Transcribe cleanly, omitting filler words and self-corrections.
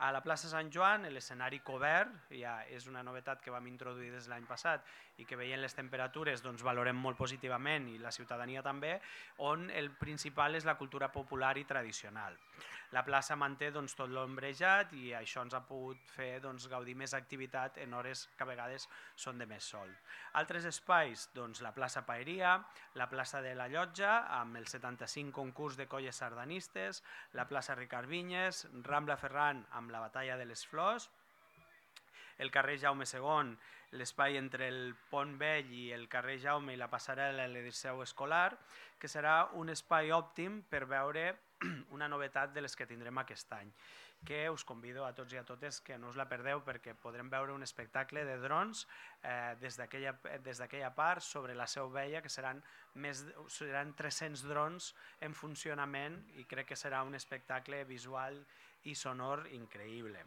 A la plaça Sant Joan l'escenari cobert, ja és una novetat que vam introduir des de l'any passat i que veient les temperatures doncs, valorem molt positivament i la ciutadania també, on el principal és la cultura popular i tradicional. La plaça manté doncs, tot l'ombrejat i això ens ha pogut fer doncs, gaudir més activitat en hores que a vegades són de més sol. Altres espais, doncs, la plaça Paeria, la plaça de la Llotja, amb el 75 concurs de colles sardanistes, la plaça Ricard Vinyes, Rambla Ferran amb la batalla de les flors, el carrer Jaume II, l'espai entre el Pont Vell i el carrer Jaume i la passarel·la de Liceu Escolar, que serà un espai òptim per veure una novetat de les que tindrem aquest any, que us convido a tots i a totes que no us la perdeu perquè podrem veure un espectacle de drons des d'aquella part sobre la Seu Vella, que seran 300 drons en funcionament i crec que serà un espectacle visual i sonor increïble.